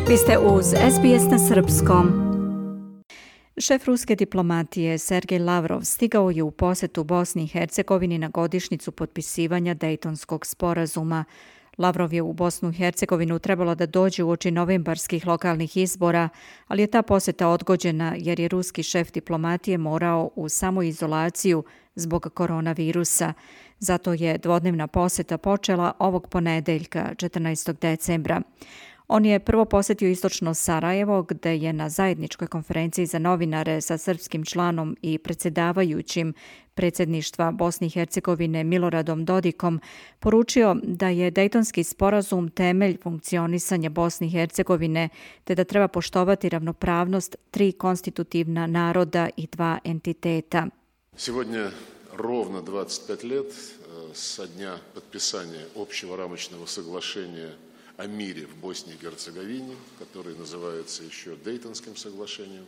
Vi ste uz SBS na srpskom. Šef ruske diplomatije Sergej Lavrov stigao je u posjetu Bosni i Hercegovini na godišnjicu potpisivanja Dejtonskog sporazuma. Lavrov je u Bosnu i Hercegovinu trebalo da dođe uoči novembarskih lokalnih izbora, ali je ta posjeta odgođena jer je ruski šef diplomatije morao u samoizolaciju zbog koronavirusa. Zato je dvodnevna posjeta počela ovog ponedeljka, 14. decembra. On je prvo posjetio istočno Sarajevo, gde je na zajedničkoj konferenciji za novinare sa srpskim članom i predsjedavajućim predsjedništva Bosne i Hercegovine Miloradom Dodikom poručio da je Dejtonski sporazum temelj funkcionisanja Bosne i Hercegovine, te da treba poštovati ravnopravnost tri konstitutivna naroda i dva entiteta. Сегодня ровно 25 лет со дня подписания общего рамочного соглашения о мире в Боснии и Герцеговине, которое называется еще Дейтонским соглашением.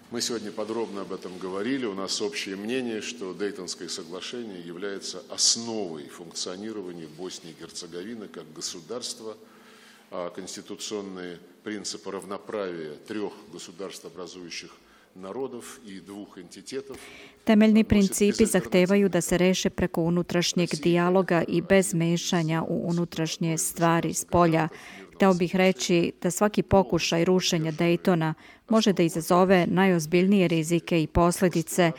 Мы сегодня подробно об этом говорили. У нас общее мнение, что Дейтонское соглашение является основой функционирования Боснии и Герцеговины как государства, а конституционные принципы равноправия трех государствообразующих народов и двух entitetos. Temeljni principi zahtevaju da se reše preko unutrašnjeg dijaloga i bez mešanja u unutrašnje stvari spolja. Hteo bih reći da svaki pokušaj rušenja Dejtona može da izazove najozbiljnije rizike i posljedice.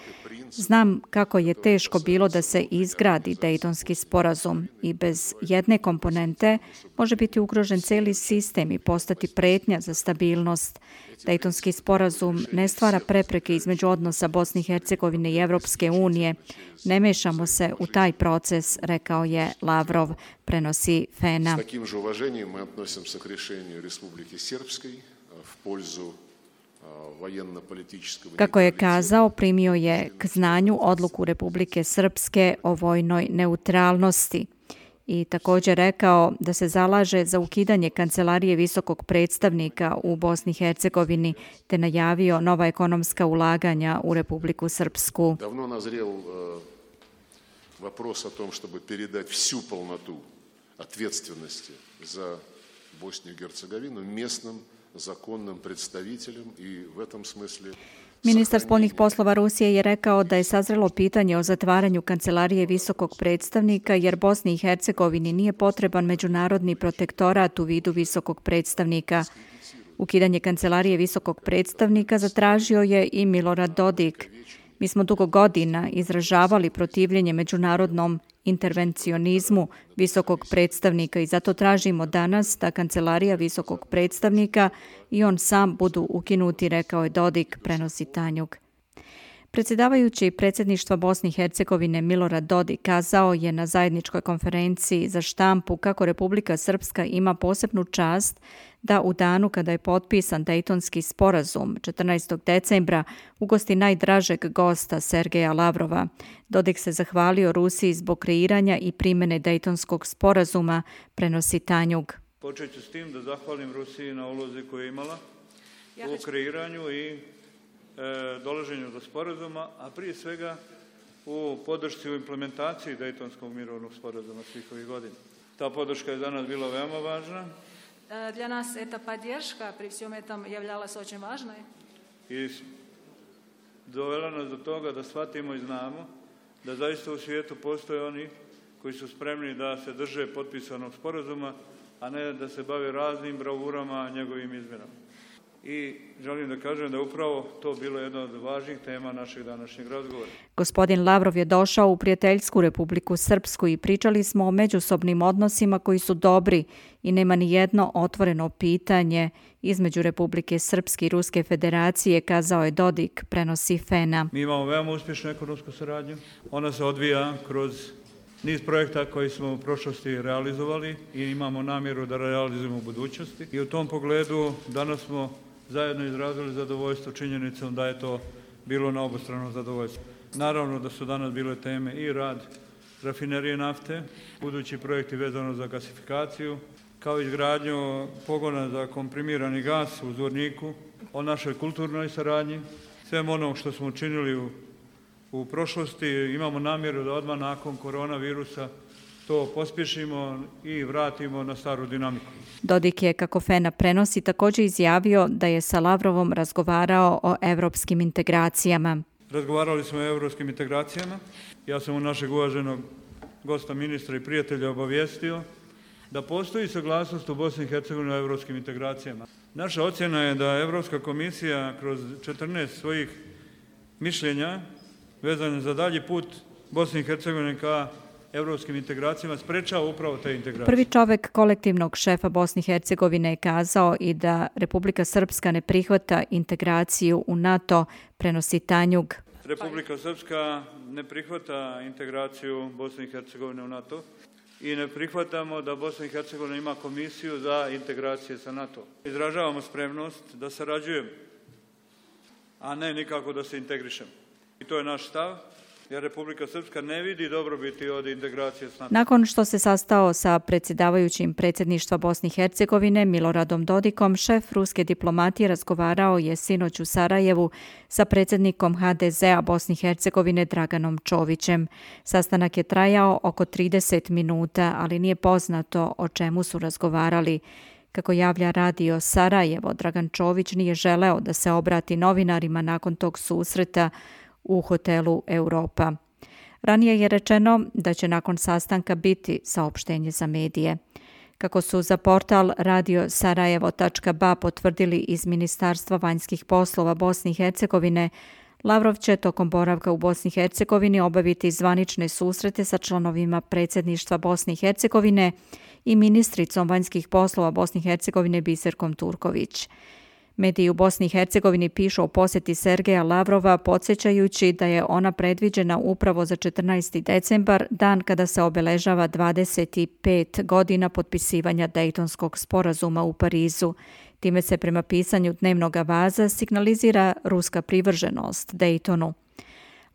Znam kako je teško bilo da se izgradi Dejtonski sporazum i bez jedne komponente može biti ugrožen cijeli sistem i postati pretnja za stabilnost. Dejtonski sporazum ne stvara prepreke između odnosa Bosne i Hercegovine i Evropske unije. Ne mešamo se u taj proces, rekao je Lavrov, prenosi FENA. S takim же уважением мы относимся к решению Республики Сербской в пользу военно-политического. Kako je kazao, primio je k znanju odluku Republike Srpske o vojnoj neutralnosti i također rekao da se zalaže za ukidanje kancelarije visokog predstavnika u Bosni i Hercegovini te najavio nova ekonomska ulaganja u Republiku Srpsku. Давно назрел вопрос о том, чтобы передать всю полноту ответственности за Боснию и Герцеговину местным законным представителям и в этом смысле. Ministar spoljnih poslova Rusije je rekao da je sazrelo pitanje o zatvaranju kancelarije visokog predstavnika jer Bosni i Hercegovini nije potreban međunarodni protektorat u vidu visokog predstavnika. Ukidanje kancelarije visokog predstavnika zatražio je i Milorad Dodik. Mi smo dugo godina izražavali protivljenje međunarodnom intervencionizmu visokog predstavnika i zato tražimo danas da kancelarija visokog predstavnika i on sam budu ukinuti, rekao je Dodik, prenosi Tanjug. Predsjedavajući predsjedništva Bosne i Hercegovine Milorad Dodik kazao je na zajedničkoj konferenciji za štampu kako Republika Srpska ima posebnu čast da u danu kada je potpisan Dejtonski sporazum 14. decembra ugosti najdražeg gosta Sergeja Lavrova. Dodik se zahvalio Rusiji zbog kreiranja i primjene Dejtonskog sporazuma, prenosi Tanjug. Počet ću s tim da zahvalim Rusiji na ulozi koju je imala u kreiranju i dolaženju do sporazuma, a prije svega u podršci u implementaciji Dejtonskog mirovnog sporazuma svih ovih godina. Ta podrška je za nas bila veoma važna. Для нас эта поддержка при всем этом являлась очень важной. I dovela nas do toga da shvatimo i znamo da zaista u svijetu postoje oni koji su spremni da se drže potpisanog sporazuma, a ne da se bave raznim bravurama njegovim izmjenama. I želim da kažem da je upravo to bilo jedna od važnijih tema našeg današnjeg razgovora. Gospodin Lavrov je došao u prijateljsku Republiku Srpsku i pričali smo o međusobnim odnosima koji su dobri i nema ni jedno otvoreno pitanje između Republike Srpske i Ruske federacije, kazao je Dodik, prenosi FENA. Mi imamo veoma uspješnu ekonomsku saradnju. Ona se odvija kroz niz projekta koji smo u prošlosti realizovali i imamo namjeru da realizujemo u budućnosti. I u tom pogledu danas smo zajedno izrazili zadovoljstvo činjenicom da je to bilo na obostrano zadovoljstvo. Naravno da su danas bile teme i rad rafinerije nafte, budući projekti vezano za gasifikaciju, kao izgradnju pogona za komprimirani gas u Zvorniku, o našoj kulturnoj saradnji, svemu onom što smo učinili u prošlosti. Imamo namjeru da odmah nakon koronavirusa to pospješimo i vratimo na staru dinamiku. Dodik je, kako FENA prenosi, također izjavio da je sa Lavrovom razgovarao o evropskim integracijama. Razgovarali smo o evropskim integracijama. Ja sam u našeg uvaženog gosta ministra i prijatelja obavijestio da postoji saglasnost u Bosni i Hercegovini o evropskim integracijama. Naša ocjena je da Evropska komisija kroz 14 svojih mišljenja vezane za dalji put Bosne i Hercegovine ka evropskim integracijama sprečava upravo te integracije. Prvi čovjek kolektivnog šefa Bosne i Hercegovine je kazao i da Republika Srpska ne prihvata integraciju u NATO, prenosi Tanjug. Republika Srpska ne prihvata integraciju Bosne i Hercegovine u NATO i ne prihvatamo da Bosna i Hercegovina ima komisiju za integracije sa NATO. Izražavamo spremnost da sarađujemo, a ne nikako da se integrišemo. I to je naš stav, jer Republika Srpska ne vidi dobrobiti od integracije s NATO. Nakon što se sastao sa predsjedavajućim predsjedništva Bosne i Hercegovine Miloradom Dodikom, šef ruske diplomatije razgovarao je sinoć u Sarajevu sa predsjednikom HDZ-a Bosne i Hercegovine Draganom Čovićem. Sastanak je trajao oko 30 minuta, ali nije poznato o čemu su razgovarali. Kako javlja radio Sarajevo, Dragan Čović nije želeo da se obrati novinarima nakon tog susreta u hotelu Europa. Ranije je rečeno da će nakon sastanka biti saopštenje za medije. Kako su za portal radiosarajevo.ba potvrdili iz Ministarstva vanjskih poslova Bosne i Hercegovine, Lavrov će tokom boravka u Bosni i Hercegovini obaviti zvanične susrete sa članovima predsjedništva Bosne i Hercegovine i ministricom vanjskih poslova Bosne i Hercegovine Biserkom Turković. Mediji u Bosni i Hercegovini pišu o posjeti Sergeja Lavrova, podsjećajući da je ona predviđena upravo za 14. decembar, dan kada se obeležava 25 godina potpisivanja Dejtonskog sporazuma u Parizu. Time se prema pisanju dnevnog avaza signalizira ruska privrženost Dejtonu.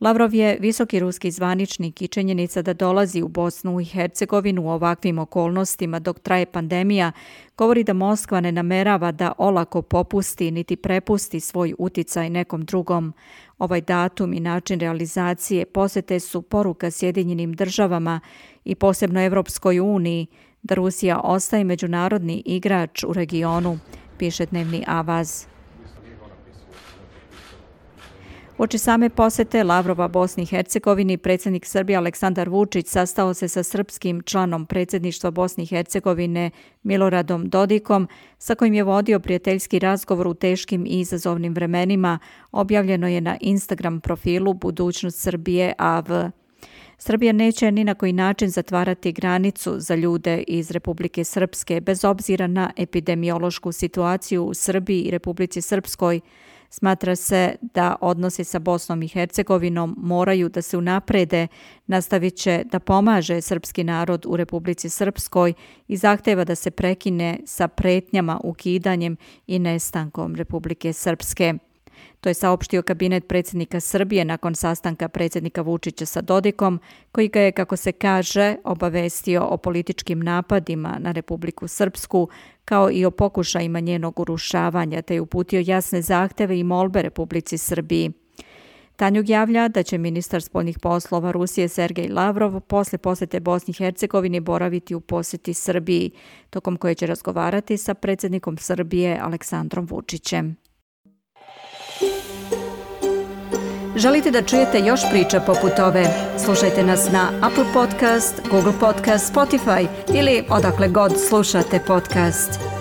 Lavrov je visoki ruski zvaničnik i činjenica da dolazi u Bosnu i Hercegovinu u ovakvim okolnostima dok traje pandemija govori da Moskva ne namerava da olako popusti niti prepusti svoj uticaj nekom drugom. Ovaj datum i način realizacije posjete su poruka Sjedinjenim državama i posebno Evropskoj uniji da Rusija ostaje međunarodni igrač u regionu, piše dnevni avaz. Uoči same posjete Lavrova Bosni i Hercegovini, predsjednik Srbije Aleksandar Vučić sastao se sa srpskim članom predsjedništva Bosne i Hercegovine Miloradom Dodikom, sa kojim je vodio prijateljski razgovor u teškim i izazovnim vremenima, objavljeno je na Instagram profilu Budućnost Srbije AV. Srbija neće ni na koji način zatvarati granicu za ljude iz Republike Srpske, bez obzira na epidemiološku situaciju u Srbiji i Republici Srpskoj. Smatra se da odnosi sa Bosnom i Hercegovinom moraju da se unaprede, nastavit će da pomaže srpski narod u Republici Srpskoj i zahteva da se prekine sa pretnjama, ukidanjem i nestankom Republike Srpske. To je saopštio kabinet predsjednika Srbije nakon sastanka predsjednika Vučića sa Dodikom, koji ga je, kako se kaže, obavestio o političkim napadima na Republiku Srpsku, kao i o pokušajima njenog urušavanja, te je uputio jasne zahteve i molbe Republici Srbiji. Tanjug javlja da će ministar spoljnih poslova Rusije Sergej Lavrov posle posjete Bosni i Hercegovini boraviti u posjeti Srbiji, tokom koje će razgovarati sa predsjednikom Srbije Aleksandrom Vučićem. Želite da čujete još priča poput ove? Slušajte nas na Apple Podcast, Google Podcast, Spotify ili odakle god slušate podcast.